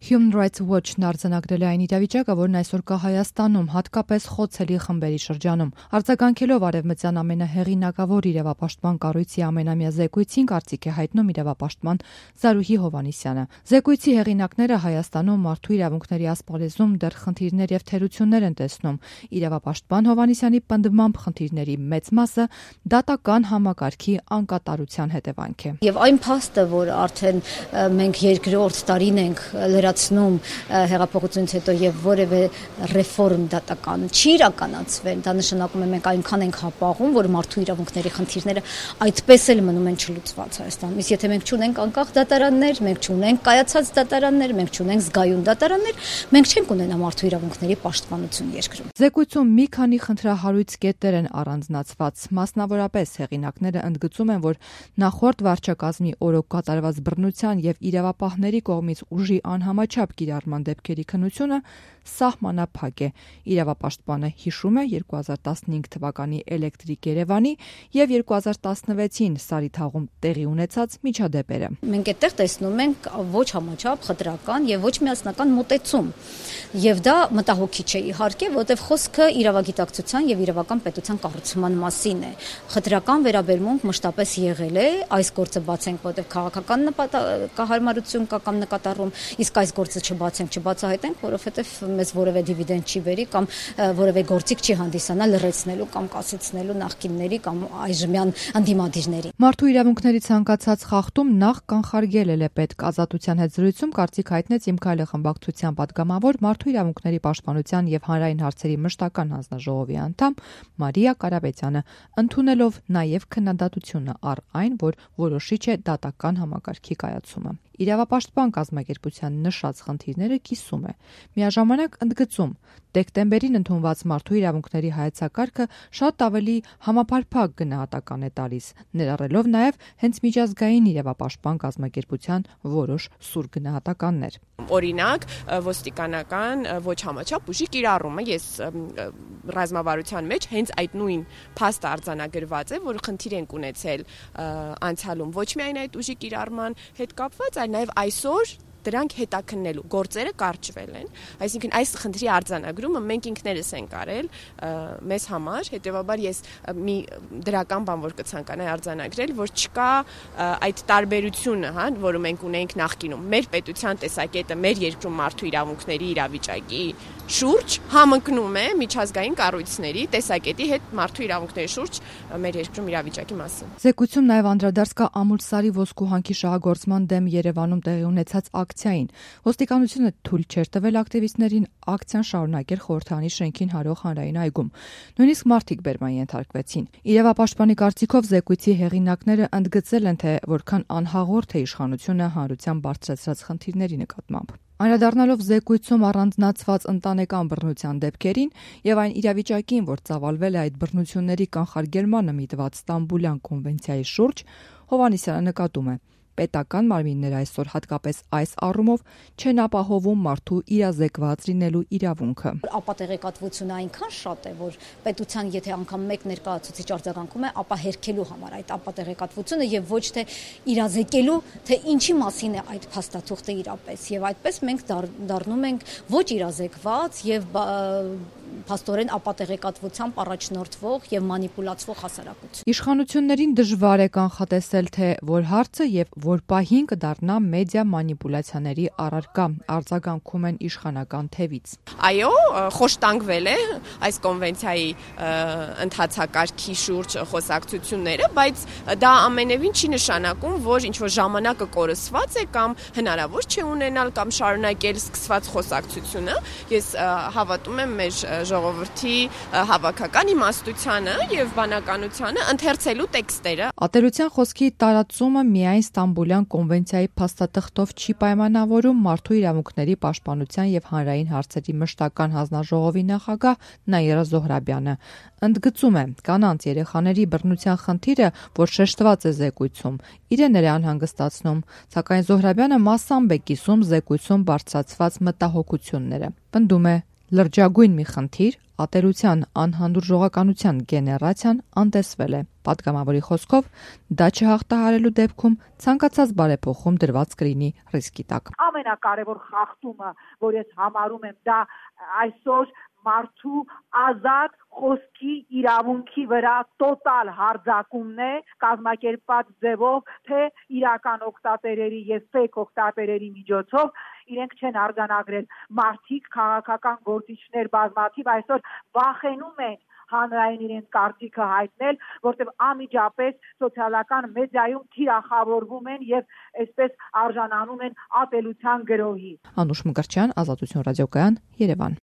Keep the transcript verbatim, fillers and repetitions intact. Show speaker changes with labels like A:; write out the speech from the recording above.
A: Human Rights Watch-ն արձանագրել է այն իրավիճակը, որն այսօր կա Հայաստանում, հատկապես խոցելի խմբերի շրջանում։ Արձագանքելով արևմտյան ամենահեղինակավոր իրավապաշտպան կառույցի ամենամյա զեկույցին, կարծիք է հայտնում իրավապաշտպան Զարուհի Հովհաննիսյանը։ Զեկույցի հեղինակները Հայաստանում մարդու իրավունքների ասպարեզում դեռ խնդիրներ եւ թերություններ են տեսնում։ Իրավապաշտպան Հովհաննիսյանի պնդմամբ խնդիրների մեծ մասը դատական համակարգի անկատարության հետևանք է։
B: Եվ այն փաստը, որ արդեն մենք երկրորդ տարին ենք լրացնում հեղափոխությունից հետո եւ որևէ ռեֆորմ դատական չի իրականացվել, դա նշանակում է մենք այնքան ենք հապաղում, որ մարդու իրավունքների խնդիրները այդպես էլ մնում են չլուծված Հայաստանում։ Իսկ եթե մենք չունենք անկախ դատարաններ, մենք չունենք կայացած դատարաններ, մենք չունենք զգայուն դատարաններ, մենք չենք ունենա մարդու իրավունքների պաշտպանություն երկրում։
A: Զեկույցում մի քանի խնդրահարույց կետեր են առանձնացված։ Մասնավորապես հեղինակները ընդգծում են, որ նախորդ վարչակազմի օրոք կատարված բռնության եւ իրավապահների կողմից ուժի անհամաչափ կիրառման դեպքերի քննությունը սահմանափակ է։ Իրավապաշտպանը հիշում է երկու հազար տասնհինգ թվականի Էլեկտրիկ Երևանի եւ երկու հազար տասնվեցին Սարիթաղում տեղի ունեցած միջադեպերը։
B: Մենք այդտեղ տեսնում ենք ոչ համաչափ խտրական եւ ոչ միասնական մոտեցում։ Եվ դա մտահոգիչ է իհարկե, որտեղ խոսքը իրավագիտակցության եւ իրավական պետության կառուցման մասին է։ Խտրական վերաբերմունք մշտապես եղել է, այս գործը բացենք, որտեղ քաղաքական նպատակահարմարություն կա կամ նկատառում, իսկ այս գործը չբացենք, չբացահայտենք, որովհետեւ մեզ որևէ դիվիդենդ չի բերի կամ որևէ գործիք չի հանդիսանա լրացնելու կամ կասեցնելու նախկինների կամ այժմյան անդիմադիրների։
A: Մարդու իրավունքների ցանկացած խախտում նախ կանխարգելել է պետք։ Ազատության հետ զրույցում կարծիք հայտնեց Իմ քայլը խմբակցության պատգամավոր մարդու իրավունքների պաշտպանության եւ հանրային հարցերի մշտական հանձնաժողովի անդամ Մարիա Կարապետյանը, ընդունելով նաեւ քննադատությունը առ այն, որ որոշիչ է դատական համակարգի կայացումը։ Իրավապաշտպան կազմակերպության նշած խնդիրները կիսում է։ Միաժամանակ ընդգծում, դեկտեմբերին ընդունված մարդու իրավունքների հայեցակարգը շատ ավելի համապարփակ գնահատական է տալիս, ներառելով նաև հենց միջազգային իրավապաշտպան կազմակերպության որոշ սուր գնահատականներ։
C: Օրինակ, ոստիկանական ոչ համաչափ ուժի կիրառումը, ես ռազմավարության մեջ հենց այդ նույն փաստը արձանագրված է, որ խնդիր ենք ունեցել անցյալում ոչ միայն այդ ուժի կիրառման հետ կապված, այլ նաև այսօր դրանք հետաքննելու գործերը կարճվել են, այսինքն այս խնդրի արձանագրումը մենք ինքներս ենք արել մեզ համար, հետեւաբար ես մի դրական բան որ կցանկանայի արձանագրել, որ չկա այդ տարբերությունը, հա, որը մենք ունենք նախկինում, մեր պետության տեսակետը մեր երկրում մարդու իրավունքների իրավիճակի շուրջ համընկնում է միջազգային կառույցների տեսակետի հետ մարդու իրավունքների շուրջ մեր երկրում իրավիճակի մասին։
A: Զեկույցում նաև անդրադարձ կա Ամուլսարի ոսկու հանքի շահագործման դեմ Երևանում տեղի ունեցած ակցիային։ Ոստիկանությունը թույլ չէր տվել ակտիվիստներին ակցիան շարունակել խորհրդարանի շենքին հարող հանրային այգում։ Նույնիսկ մարդիկ բերման ենթարկվեցին։ Իրավապաշտպանի կարծիքով զեկույցի հեղինակները ընդգծել են, թե որքան անհաղորդ է իշխանությունը հանրության բարձրացրած խնդիրների նկատմամբ։ Անդրադառնալով զեկույցում առանձնացված ընտանեկան բռնության դեպքերին եւ այն իրավիճակին, որ ծավալվել է այդ բռնությունների կանխարգելմանը միտված Ստամբուլյան կոնվենցիայի շուրջ, Հովհաննիսյանը նկատում է. պետական մարմինները այսօր հատկապես այս առումով չեն ապահովում մարդու իրազեկված լինելու իրավունքը։
B: Ապատեղեկատվությունը այնքան շատ է, որ պետության եթե անգամ մեկ ներկայացուցիչ արձագանքում է, ապա հերքելու համար այդ ապատեղեկատվությունը եւ ոչ թե իրազեկելու, թե ինչի մասին է այդ փաստաթուղթը իրապես։ Եվ այդպես մենք դառնում ենք ոչ իրազեկված եւ փաստորեն ապատեղեկատվությամբ առաջնորդվող եւ մանիպուլացվող հասարակություն։
A: Իշխանություններին դժվար է կանխատեսել, թե որ հարցը եւ որ պահին կդառնա մեդիա մանիպուլյացիաների առարկա, արձագանքում են իշխանական թևից։
C: Այո, խոշտանգվել է այս կոնվենցիայի ընթացակարգի շուրջ խոսակցությունները, բայց դա ամենևին չի նշանակում, որ ինչ որ ժամանակը կորսված է կամ հնարավոր չէ ունենալ կամ շարունակել սկսված խոսակցությունը։ Ես հավատում եմ մեր ժողովրդի հավաքական իմաստությանը եւ բանականությանը ընթերցելու տեքստերը։
A: Ատելության խոսքի տարածումը միայն Ստամբուլյան կոնվենցիայի փաստաթղթով չի պայմանավորում մարդու իրավունքների պաշտպանության եւ հանրային հարցերի մշտական հանձնաժողովի նախագահ Նաիրա Զոհրաբյանը։ Ընդգծում է, կանանց երեխաների բռնության խնդիրը, որ շեշտված է զեկույցում, իրեն էր անհանգստացնում, սակայն Զոհրաբյանը մասամբ է կիսում զեկույցում բարձրացված մտահոգությունները։ Պնդում է, Լրջագույն մի խնդիր, ատելության անհանդուրժողականության գեներացիան անտեսվել է։ Պատգամավորի խոսքով, դա չհաղթահարելու դեպքում ցանկացած բարեփոխում դրված կլինի ռիսկի տակ։
D: Ամենակարևոր խախտումը, որ ես համարում եմ, դա այսօր մարդու ազատ խոսքի իրավունքի վրա տոտալ հարձակումն է, կազմակերպված ձևով, թե իրական օգտատերերի եւ ֆեյք օգտատերերի միջոցով իրենք չեն արձանագրել մարդիկ, քաղաքական գործիչներ բազմաթիվ այսօր վախենում են հանրային իրենց կարծիքը հայտնել, որտեղ անմիջապես սոցիալական մեդիայում թիրախավորվում են եւ այսպես արժանանում են ատելության գրոհի։
A: Անուշ Մկրտչյան, Ազատություն ռադիոկայան, Երևան։